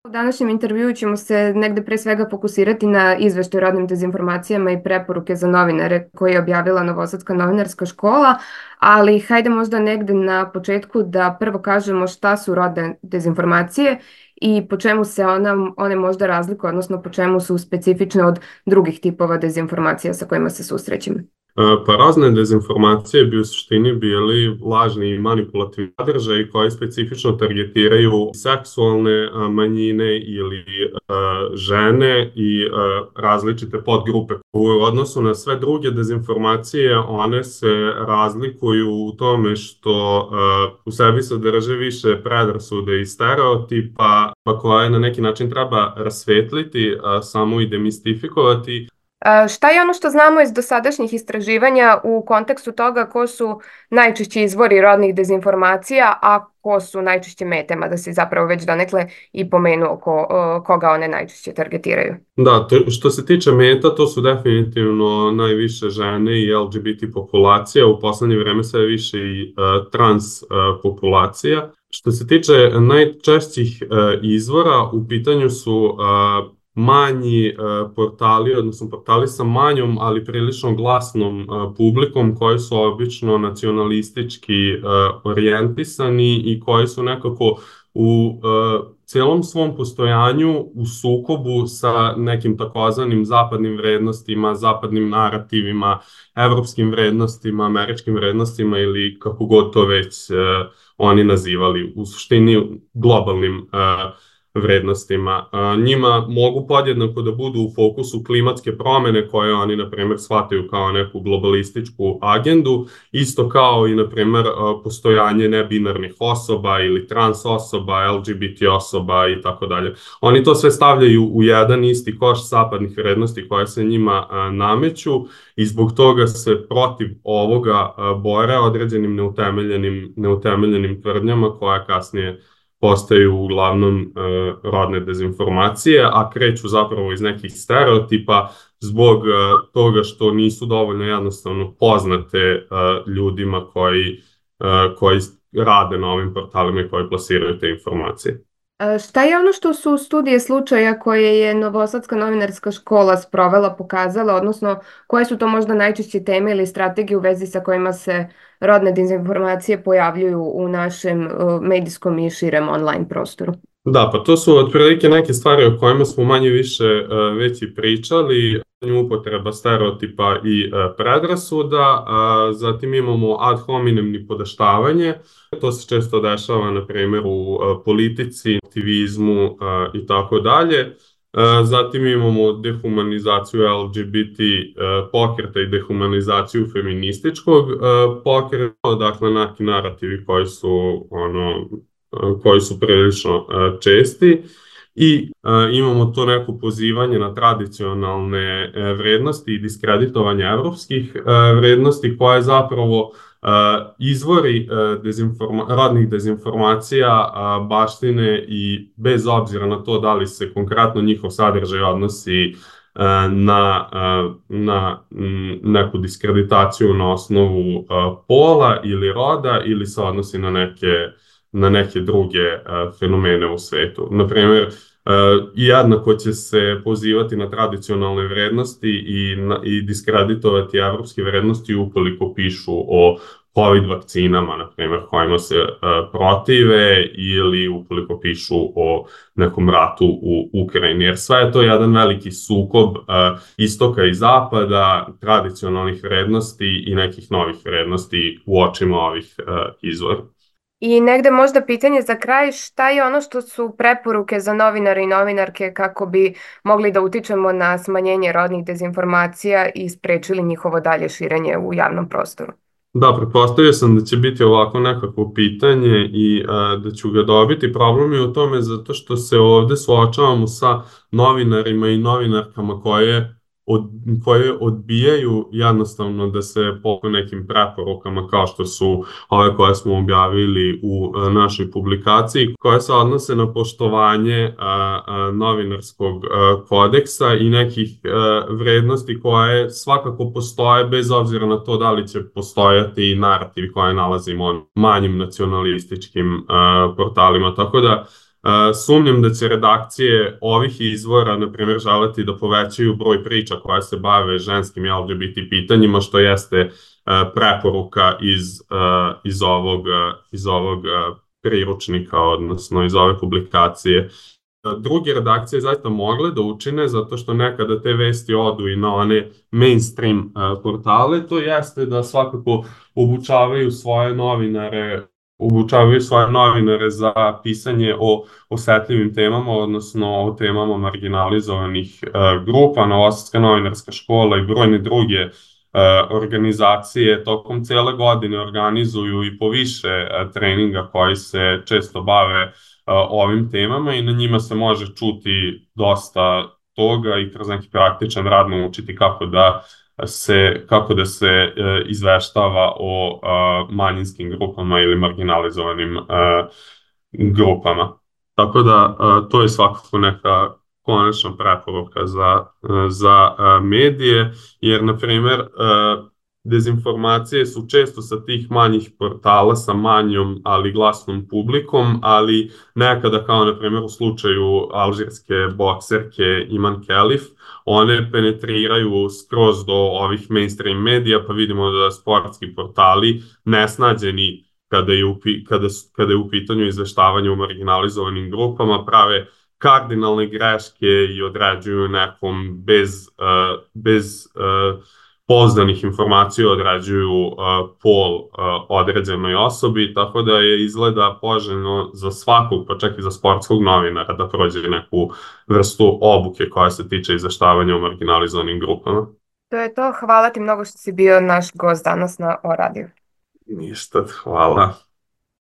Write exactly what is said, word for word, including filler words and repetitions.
U današnjem intervjuu ćemo se negde pre svega fokusirati na izveštaj o rodnim dezinformacijama i preporuke za novinare koje je objavila Novosadska novinarska škola, ali hajde možda negde na početku da prvo kažemo šta su rodne dezinformacije i po čemu se ona, one možda razlikuju, odnosno po čemu su specifične od drugih tipova dezinformacija sa kojima se susrećemo. Pa razne dezinformacije bi u suštini bili lažni i manipulativni sadržaji koji specifično targetiraju seksualne manjine ili žene i različite podgrupe. U odnosu na sve druge dezinformacije, one se razlikuju u tome što u sebi sadrže više predrasude i stereotipa, pa koje na neki način treba rasvetliti, samo i demistifikovati. Šta je ono što znamo iz dosadašnjih istraživanja u kontekstu toga ko su najčešći izvori rodnih dezinformacija, a ko su najčešće metama, da se zapravo već donekle i pomenuo ko, koga one najčešće targetiraju? Da, to, što se tiče meta, to su definitivno najviše žene i L G B T populacija, u poslednje vreme sve više i uh, trans uh, populacija. Što se tiče najčešćih uh, izvora, u pitanju su uh, manji uh, portali, odnosno portali sa manjom, ali prilično glasnom uh, publikom, koji su obično nacionalistički uh, orijentisani i koji su nekako u uh, celom svom postojanju u sukobu sa nekim takozvanim zapadnim vrednostima, zapadnim narativima, evropskim vrednostima, američkim vrednostima ili kako god to već uh, oni nazivali, u suštini globalnim uh, vrednostima. Njima mogu podjednako da budu u fokusu klimatske promene koje oni, na primjer, shvataju kao neku globalističku agendu, isto kao i, na primjer, postojanje nebinarnih osoba ili trans osoba, L G B T osoba i tako dalje. Oni to sve stavljaju u jedan isti koš zapadnih vrednosti koje se njima nameću i zbog toga se protiv ovoga bore određenim neutemeljenim, neutemeljenim tvrdnjama koja kasnije postaju uglavnom uh, rodne dezinformacije, a kreću zapravo iz nekih stereotipa zbog uh, toga što nisu dovoljno jednostavno poznate uh, ljudima koji, uh, koji rade na ovim portalima i koji plasiraju te informacije. Šta je ono što su studije slučaja koje je Novosadska novinarska škola sprovela pokazala, odnosno koje su to možda najčešće teme ili strategije u vezi sa kojima se rodne dezinformacije pojavljuju u našem medijskom i širem online prostoru? Da, pa to su otprilike neke stvari o kojima smo manje više već i pričali. Upotreba stereotipa i predrasuda, zatim imamo ad hominem nipodaštavanje. To se često dešava, na primjer, u politici, aktivizmu i tako dalje. Zatim imamo dehumanizaciju L G B T pokreta i dehumanizaciju feminističkog pokreta, dakle neki narativi koji su, ono, koji su prilično česti. I uh, imamo to neko pozivanje na tradicionalne uh, vrednosti i diskreditovanje evropskih uh, vrednosti koje zapravo uh, izvori uh, dezinforma rodnih dezinformacija uh, baštine i bez obzira na to da li se konkretno njihov sadržaj odnosi uh, na, uh, na m, neku diskreditaciju na osnovu uh, pola ili roda ili se odnosi na neke na neke druge uh, fenomene u svetu. Naprimjer, uh, jednako će se pozivati na tradicionalne vrednosti i, na, i diskreditovati evropske vrednosti ukoliko pišu o COVID vakcinama, na primjer, kojima se uh, protive ili ukoliko pišu o nekom ratu u Ukrajini. Jer sve je to jedan veliki sukob uh, istoka i zapada, tradicionalnih vrednosti i nekih novih vrednosti u očima ovih uh, izvora. I negde možda pitanje za kraj, šta je ono što su preporuke za novinare i novinarke kako bi mogli da utičemo na smanjenje rodnih dezinformacija i sprečili njihovo dalje širenje u javnom prostoru? Da, pretpostavio sam da će biti ovako nekako pitanje i a, da ću ga dobiti. Problem je u tome zato što se ovde suočavamo sa novinarima i novinarkama koje Od, koje odbijaju jednostavno da se po nekim preporukama kao što su ove koje smo objavili u a, našoj publikaciji, koje se odnose na poštovanje a, a, novinarskog a, kodeksa i nekih a, vrednosti koje svakako postoje bez obzira na to da li će postojati narativi koje nalazimo na manjim nacionalističkim a, portalima. Tako da Sumnjam da će redakcije ovih izvora, na primjer, želeti da povećaju broj priča koja se bave ženskim i L G B T pitanjima, što jeste preporuka iz, iz ovog, iz ovog priručnika, odnosno iz ove publikacije. Druge redakcije zaista mogle da učine, zato što nekada te vesti odu i na one mainstream portale, to jeste da svakako obučavaju svoje novinare obučavaju svoje novinare za pisanje o osetljivim temama, odnosno o temama marginalizovanih grupa. Novosadska novinarska škola i brojne druge organizacije tokom cele godine organizuju i po više treninga koji se često bave ovim temama i na njima se može čuti dosta toga i kroz neki praktičan rad naučiti kako da se, kako da se e, izveštava o a, manjinskim grupama ili marginalizovanim a, grupama. Tako da a, to je svakako neka konačna preporuka za, za a, medije, jer, na primjer, a, dezinformacije su često sa tih manjih portala sa manjom, ali glasnom publikom, ali nekada, kao na primjer u slučaju alžirske bokserke Iman Kelif, one penetriraju skroz do ovih mainstream medija, pa vidimo da sportski portali nesnađeni kada je u, kada, kada je u pitanju izveštavanje u marginalizovanim grupama prave kardinalne greške i određuju nekom bez, uh, bez uh, pouzdanih informacija određuju uh, pol uh, određenoj osobi, tako da je izgleda poželjno za svakog, pa čak i za sportskog novinara da prođe neku vrstu obuke koja se tiče izveštavanja o marginalizovanim grupama. To je to. Hvala ti mnogo što si bio naš gost danas na O radiju. Ništa, hvala.